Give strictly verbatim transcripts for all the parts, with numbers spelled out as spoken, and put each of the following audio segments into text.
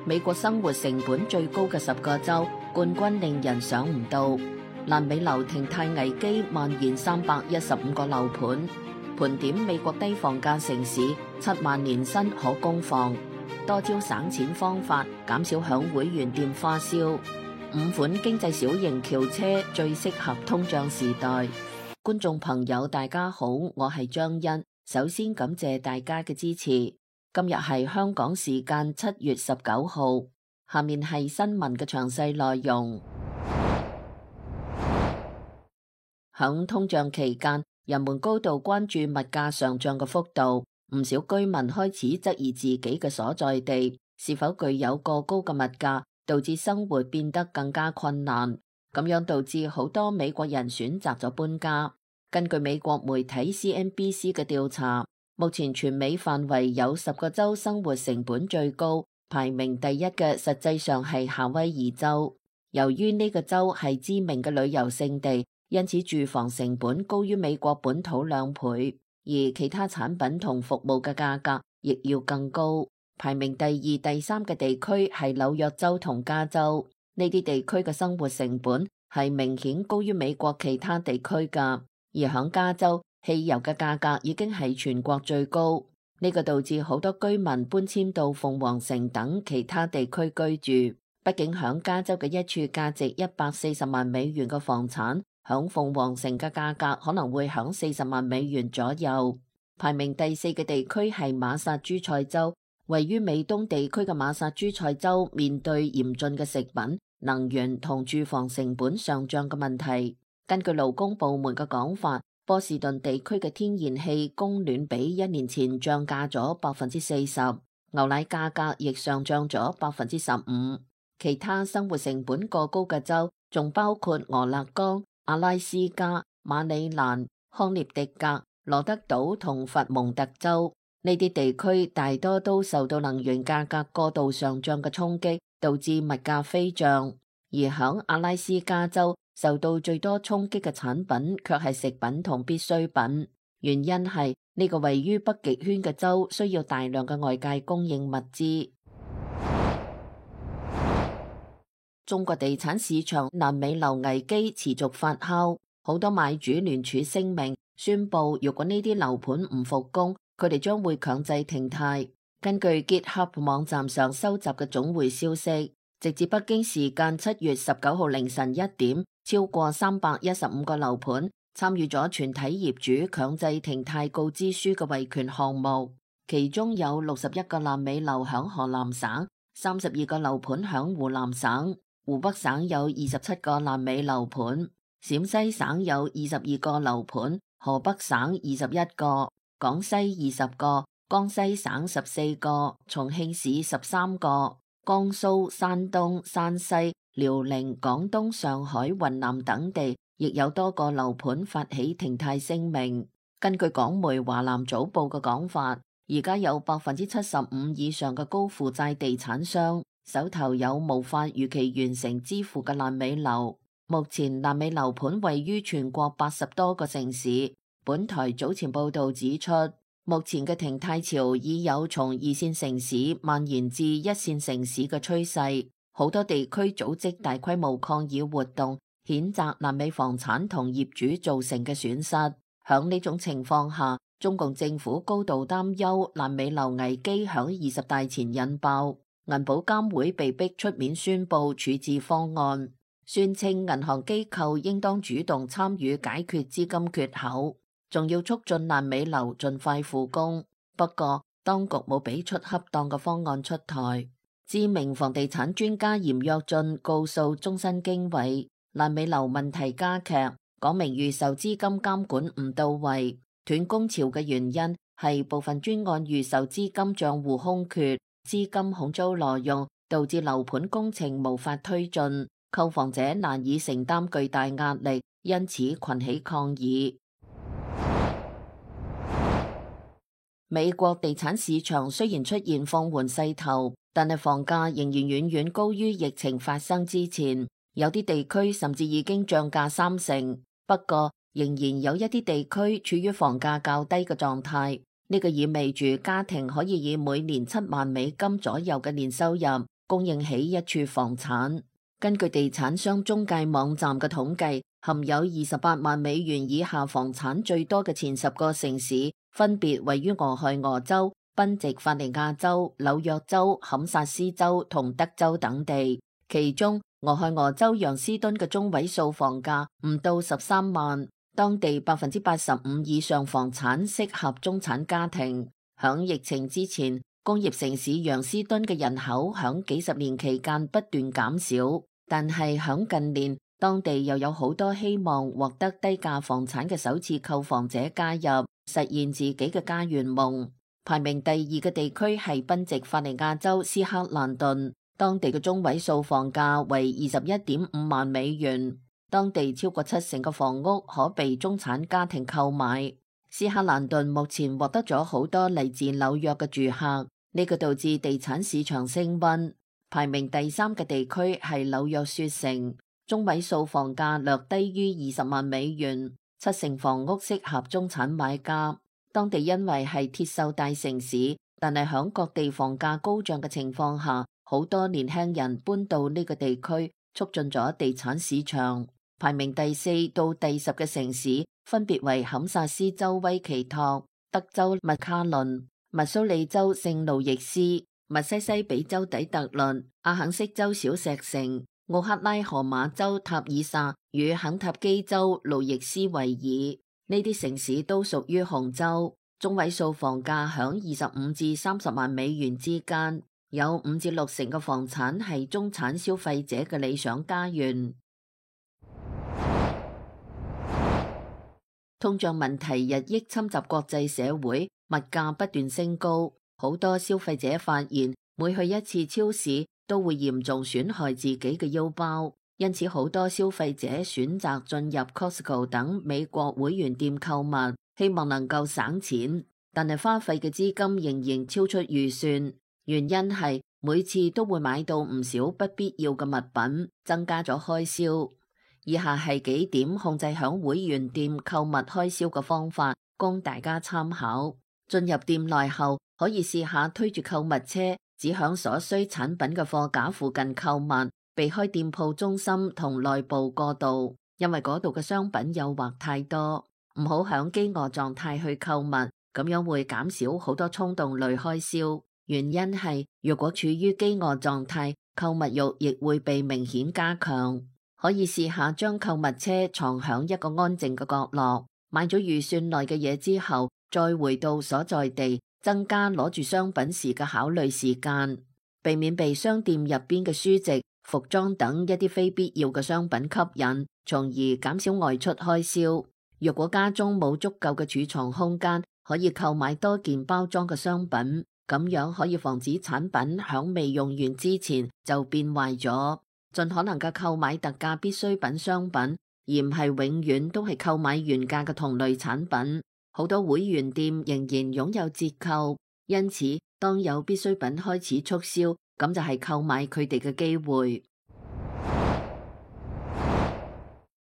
美國生活成本最高嘅十個州，冠軍令人想唔到。爛尾樓停貸危機蔓延三百一十五個樓盤，盤點美國低房價城市，七萬年薪可供房，多招省錢方法，減少響會員店花銷。五款經濟小型轎車最適合通脹時代。觀眾朋友大家好，我係張欣，首先感謝大家嘅支持。今日係香港時間七月十九號，下面係新聞嘅詳細內容。響通脹期間，人們高度關注物價上漲嘅幅度，唔少居民開始質疑自己嘅所在地是否具有過高嘅物價，導致生活變得更加困難。咁樣導致好多美國人選擇咗搬家。根據美國媒體 C N B C 嘅調查，目前全美範圍有十個州生活成本最高，排名第一嘅實際上係夏威夷州。由於呢個州係知名嘅旅遊勝地，因此住房成本高於美國本土兩倍，而其他產品同服務嘅價格亦要更高。排名第二、第三嘅地區係紐約州同加州，呢啲地區嘅生活成本係明顯高於美國其他地區㗎。而響加州，汽油嘅價格已經係全國最高，呢個導致好多居民搬遷到鳳凰城等其他地區居住。畢竟響加州嘅一處價值一百四十萬美元嘅房產，響鳳凰城嘅價格可能會響四十萬美元左右。排名第四嘅地區係馬薩諸塞州，位於美東地區嘅馬薩諸塞州面對嚴峻嘅食品、能源同住房成本上漲嘅問題。根據勞工部門嘅講法，波士頓地區嘅天然氣供暖比一年前漲價咗百分之四十，牛奶價格亦上漲咗百分之十五。其他生活成本過高嘅州仲包括俄勒岡、阿拉斯加、馬里蘭、康涅狄格、羅德島同佛蒙特州。呢啲地區大多都受到能源價格過度上漲嘅衝擊，導致物價飛漲。而響阿拉斯加州，受到最多衝擊嘅產品卻係食品同必需品，原因係呢個位於北極圈嘅州需要大量嘅外界供應物資。中國地產市場爛尾樓危機持續發酵，好多買主聯署聲明宣布，如果呢啲樓盤唔復工，佢哋將會強制停貸。根據 GitHub 網站上收集嘅總匯消息，直至北京時間七月十九號凌晨一點，超過三百一十五個樓盤參與咗全體業主強制停貸告知書嘅維權項目，其中有六十一個爛尾樓響河南省，三十二個樓盤響湖南省，湖北省有二十七個爛尾樓盤，陝西省有二十二個樓盤，河北省二十一個，廣西二十個，江西省十四個，重慶市十三個，江蘇、山東、山西、遼寧、廣東、上海、雲南等地亦有多個樓盤發起停貸聲明。根據港媒華南早報嘅講法，而家有百分之七十五以上嘅高負債地產商手頭有無法如期完成支付嘅爛尾樓。目前爛尾樓盤位於全國八十多個城市。本台早前報道指出，目前嘅停貸潮已有從二線城市蔓延至一線城市嘅趨勢，好多地區組織大規模抗議活動，譴責爛尾房產同業主造成嘅損失。響呢種情況下，中共政府高度擔憂爛尾樓危機響二十大前引爆，銀保監會被逼出面宣布處置方案，宣稱銀行機構應當主動參與解決資金缺口，仲要促進爛尾樓盡快復工。不過當局冇俾出恰當嘅方案出台。知名房地產專家嚴躍進告訴中新經緯，爛尾樓問題加劇，講明預售資金監管唔到位。斷供潮嘅原因係部分專案預售資金賬戶空缺，資金恐遭挪用，導致樓盤工程無法推進，購房者難以承擔巨大壓力，因此群起抗議。美國地產市場雖然出現放緩勢頭，但係房價仍然遠遠高於疫情發生之前，有啲地區甚至已經漲價三成。不過仍然有一啲地區處於房價較低嘅狀態，呢個意味住家庭可以以每年七萬美金左右嘅年收入供應起一處房產。根據地產商中介網站嘅統計，含有二十八萬美元以下房產最多嘅前十個城市，分別位於俄亥俄州、賓夕法尼亞州、紐約州、堪薩斯州同德州等地。其中，俄亥俄州楊斯敦嘅中位數房價唔到十三萬，當地百分之八十五以上房產適合中產家庭。響疫情之前，工業城市楊斯敦嘅人口響幾十年期間不斷減少，但係響近年，當地又有好多希望獲得低價房產嘅首次購房者加入，實現自己嘅家園夢。排名第二嘅地區係賓夕法尼亞州斯克蘭頓，當地嘅中位數房價為二十一點五萬美元，當地超過七成嘅房屋可被中產家庭購買。斯克蘭頓目前獲得咗好多嚟自紐約嘅住客，呢個導致地產市場升溫。排名第三嘅地區係紐約雪城，中位數房價略低於二十萬美元，七成房屋適合中產買家。當地因為係鐵鏽大城市，但係響各地房價高漲嘅情況下，好多年輕人搬到呢個地區，促進咗地產市場。排名第四到第十嘅城市分別為堪薩斯州威奇托、德州麥卡倫、密蘇里州聖路易斯、密西西比州底特律、阿肯色州小石城、奧克拉荷馬州塔爾薩與肯塔基州路易斯維爾。呢啲城市都屬於紅州，中位數房價響二十五至三十萬美元之間，有五至六成嘅房產係中產消費者嘅理想家園。通脹問題日益侵襲國際社會，物價不斷升高，好多消費者發現每去一次超市都會嚴重損害自己嘅腰包，因此好多消費者選擇進入 Costco 等美國會員店購物，希望能夠省錢，但係花費嘅資金仍然超出預算，原因係每次都會買到唔少不必要嘅物品，增加咗開銷。以下係幾點控制響會員店購物開銷嘅方法，供大家參考。進入店內後，可以試下推住購物車，只響所需產品嘅貨架附近購物，避開店鋪中心同內部過道，因為嗰度嘅商品誘惑太多。唔好響飢餓狀態去購物，咁樣會減少好多衝動類開銷。原因係若果處於飢餓狀態，購物慾亦會被明顯加強。可以試下將購物車藏響一個安靜嘅角落，買咗預算內嘅嘢之後，再回到所在地，增加攞住商品時嘅考慮時間，避免被商店入邊嘅書籍、服裝等一啲非必要嘅商品吸引，從而減少外出開銷。若果家中冇足夠嘅儲藏空間，可以購買多件包裝嘅商品，咁樣可以防止產品響未用完之前就變壞咗。盡可能嘅購買特價必需品商品，而唔係永遠都係購買原價嘅同類產品。好多會員店仍然擁有折扣，因此當有必需品開始促銷，咁就係購買佢哋嘅機會。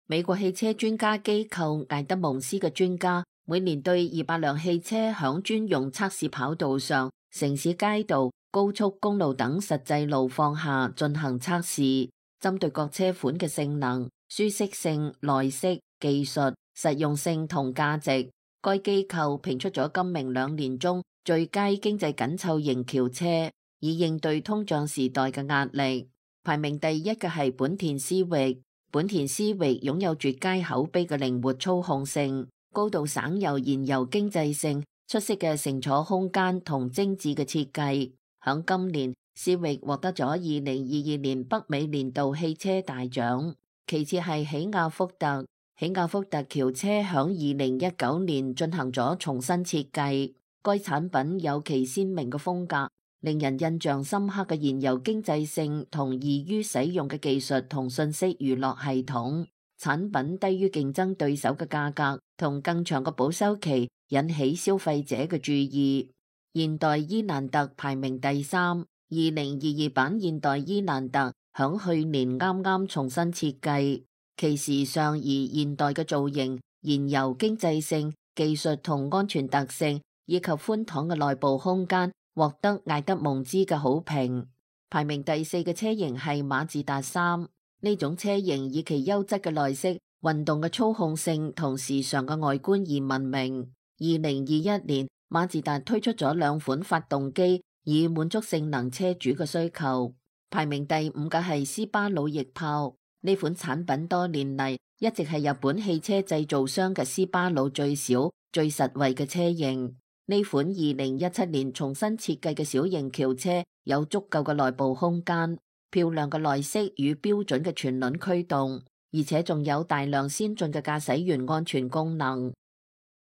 美國汽車專家機構艾德蒙斯嘅專家每年對二百輛汽車響專用測試跑道上、城市街道、高速公路等實際路況下進行測試。針對各車款嘅性能、舒適性、耐釋、技術、實用性同價值，該機構評出咗今明兩年中最佳經濟緊湊型轎車，以應對通脹時代嘅壓力。排名第一嘅係本田思域，本田思域擁有絕佳口碑嘅靈活操控性、高度省油燃油經濟性、出色嘅乘坐空間同精緻嘅設計。響今年，思域獲得咗二零二二年北美年度汽車大獎，其次係起亞福特。起亞福特轎車響二零一九年進行咗重新設計，該產品有其鮮明嘅風格，令人印象深刻嘅燃油經濟性同易於使用嘅技術同信息娛樂系統，產品低於競爭對手嘅價格同更長嘅保修期，引起消費者嘅注意。現代伊蘭特排名第三。二零二二版現代伊蘭特響去年啱啱重新設計，其時尚而現代嘅造型、燃油經濟性、技術同安全特性以及寬敞嘅內部空間，獲得艾德蒙茲嘅好評。排名第四嘅車型係馬自達三，呢種車型以其優質嘅內飾、運動嘅操控性同時尚嘅外觀而聞名。二零二一年，馬自達推出咗兩款發動機，以滿足性能車主嘅需求。排名第五嘅係斯巴魯翼豹，呢款產品多年嚟一直係日本汽車製造商嘅斯巴魯最小、最實惠嘅車型。呢款二零一七年重新設計嘅小型轎車有足夠嘅內部空間、漂亮嘅內飾與標準嘅全輪驅動，而且仲有大量先進嘅駕駛員安全功能。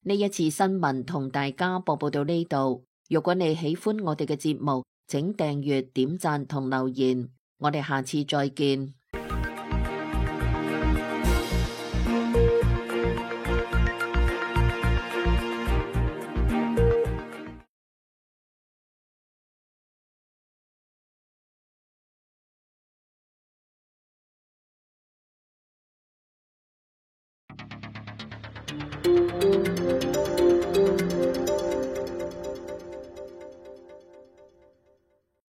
呢一次新聞同大家播報到呢度。如果你喜歡我哋嘅節目，請訂閱、點讚同留言。我哋下次再見。